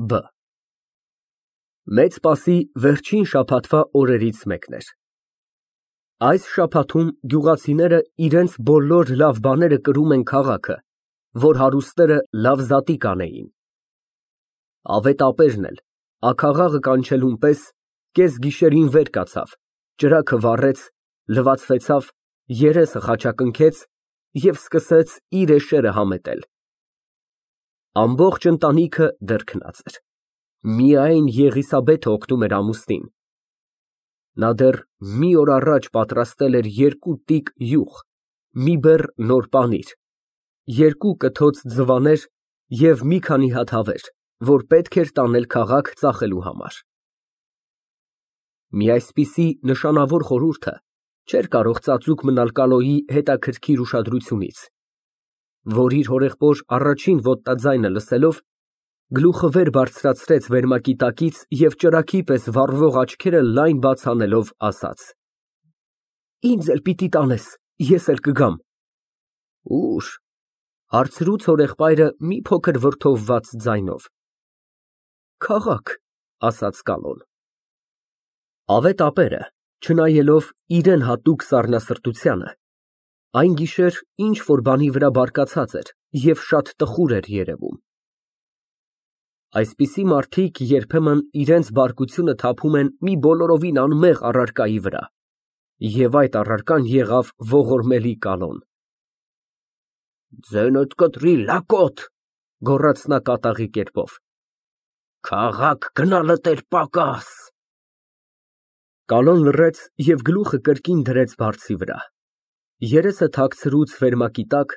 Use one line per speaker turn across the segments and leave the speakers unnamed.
Բ Մեծ Սպասի վերջին շաբաթվա օրերից մեկն էր։ Այս շաբաթում գյուղացիները իրենց բոլոր լավ բաները կրում են քաղաքը, որ հարուստները լավ զատիկ անեին։ Ավետապերն էլ, աքաղաղը կանչելուն պես, կեսգիշերին վեր կացավ, ճրագը վառեց, լվացվեցավ, երեսը խաչակնքեց և սկսեց իր էշերը համետել։ Ամբողջ ընտանիքը դեռ քնած էր, միայն Եղիսաբեթը օգնում էր ամուսնին։ Նա դեռ մի օր առաջ պատրաստել էր 2 տիկ յուղ, մի բեռ նոր պանիր, 2 կթոց ձվաներ և մի քանի հատ հավեր, որ պետք էր տանել քաղաք ծախելու համար։ Մի այսպիսի նշանավոր խորհուրդը չէր կարող ծածուկ մնալ Կալոյի հետաքրքիր ուշադրությունից, որ իր հորեղբոր առաջին ոտնաձայնը լսելով, գլուխը վեր բարձրացրեց վերմակի տակից և ճրագի պես վառվող աչքերը լայն բաց անելով ասաց. Ինձ էլ պիտի տանես, ես էլ կգամ։ Ուր, հարցրուց հորեղբայրը մի փոքր վրդովված ձայնով։ Քաղաք, ասաց Կալոն։ Ավետապերը, չնայելով իրան հատուկ սառնասրտությանը, այն գիշեր ինչ֊որ բանի վրա բարկացած էր և շատ տխուր էր երևում։ Այսպիսի մարդիկ երբեմն իրենց բարկությունը թափում են մի բոլորովին անմեղ առարկայի վրա, և այդ առարկան եղավ ողորմելի Կալոն։ Ձենդ կտրի, լակոտ, գոռաց նա կատաղի կերպով, քաղաք գնալդ էր պակաս։ Կալոն լռեց և գլուխը կրկին դրեց բարձի վրա, երեսը թաքցրուց վերմակի տակ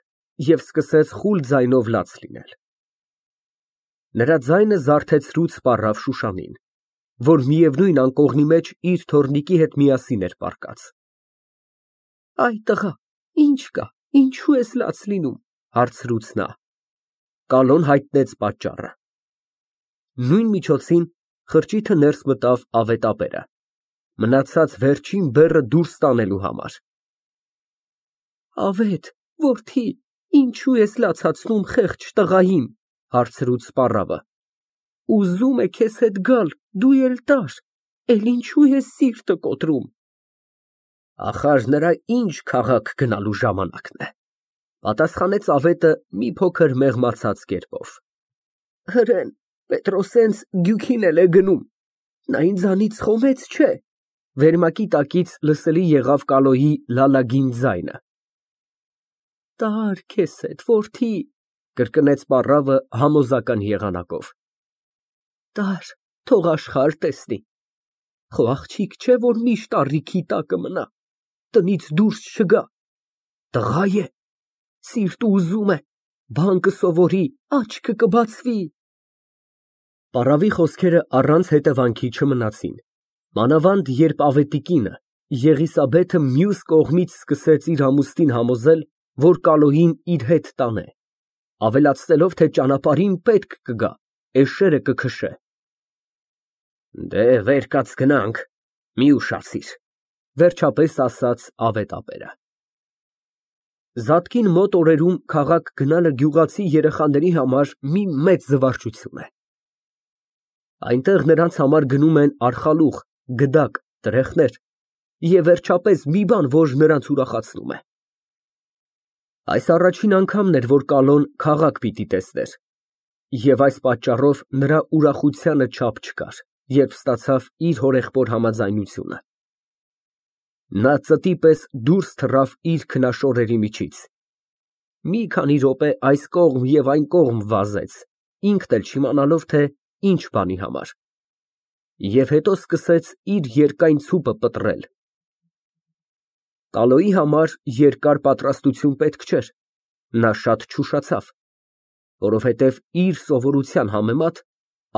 և սկսեց խուլ ձայնով լաց լինել։ Նրա ձայնը զարթեցրուց սպառավ Շուշանին, որ միևնույն անկողնի մեջ իր թոռնիկի հետ միասին էր պառկած։ Այ տղա, ինչ կա, ինչու ես լաց լինում, հարցրուց նա։ Կալոն հայտնեց պատճառը։ Նույն միջոցին խրճիթը ներս մտավ ավետապերը, մնացած վերջին բեռը դուրս տանելու համար։ Ավետ, որդի, ինչու ես լացացնում խեղճ տղային, հարցրուց սպառավը։ Ուզում է քեզ հետ գալ, դու էլ տար, էլ ինչու ես սիրտը կոտրում։ Ախար նրա ինչ քաղաք գնալու ժամանակն է, պատասխանեց ավետը մի փոքր մեղմացած կերպով։ Հրեն, Պետրոսենց գյուքին էլ է գնում, նա ինձանից խոմեց չէ։ Վերմակի տակից լսելի եղավ Կալոյի լալագին ձայնը։ Տար քեզ հետ, որդի, կրկնեց սպառավը համոզական եղանակով։ Տար, թող աշխարհ տեսնի։ Խո աղջիկ չէ, որ միշտ առիքի տակը մնա, տնից դուրս չգա։ Տղա է, սիրտը ուզում է, բան կսովորի, աչքը կբացվի։ Պառավի խոսքերը առանց հետևանքի չմնացին, մանավանդ երբ ավետի կինը, Եղիսաբեթը մյուս կողմից սկսեց իր ամուսնին համոզել, որ Կալոյին իր հետ տանե, ավելացնելով, թե ճանապարհին պետք կգա, էշերը կքշե։ Դե վեր կաց գնանք, մի ուշացիր, վերջապես ասաց ավետապերը։ Զատկին մոտ օրերում քաղաք գնալը գյուղացի երեխաների համար մի մեծ զվարճություն է։ Այնտեղ նրանց համար գնում են արխալուղ, գդակ, տրեխներ և վերջապես մի բան, որ նրանց ուրախացնում է։ Այս առաջին անգամն էր, որ Կալոն քաղաք պիտի տեսներ, և այս պատճառով նրա ուրախությանը չափ չկար, երբ ստացավ իր հորեղբոր համաձայնությունը։ Նա ծտի պես դուրս թռավ իր քնաշորերի միջից։ Մի քանի րոպե այս կողմ և այն կողմ վազեց, ինքն էլ չիմանալով, թե ինչ բանի համար, և հետո սկսեց իր երկայն ցուպը պտռել։ Կալոյի համար երկար պատրաստություն պետք չէր, նա շատ չուշացավ, որովհետև իր սովորության համեմատ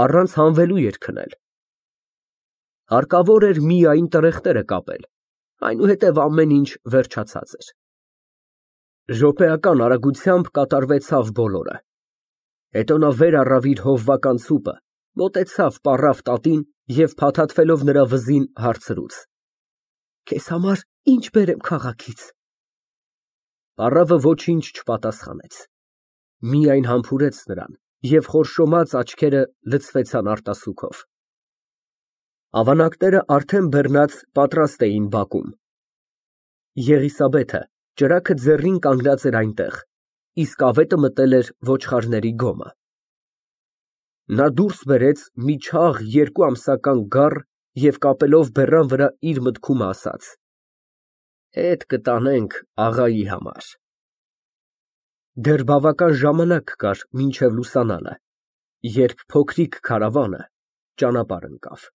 առանց հանվելու էր քնել։ Հարկավոր էր միայն տրեխները կապել, այնուհետև ամեն ինչ վերջացած էր։ Րոպեական արագությամբ կատարվեցավ բոլորը։ Հետո նա վեր առավ իր հովվական ցուպը, մոտեցավ պառավ տատին և փաթաթվելով նրա վզին հարցրուց. Քեզ համար ինչ բերեմ քաղաքից։ Պառավը ոչինչ չպատասխանեց, միայն համբուրեց նրան Եվ խորշոմած աչքերը լցվեցան արտասուքով։ Ավանակները արդեն բեռնած պատրաստ էին բակում։ Եղիսաբեթը ճրագը ձեռին կանգնած էր այնտեղ, իսկ ավետը մտել էր ոչխարների գոմը։ Նա դուրս բերեց մի չաղ 2 ամսական գառ և կապելով բեռան վրա իր մտքումն ասաց. «Էդ կտանենք աղայի համար»։ Դեռ բավական ժամանակ կար մինչև լուսանալը, երբ փոքրիկ քարավանը ճանապարհ ընկավ։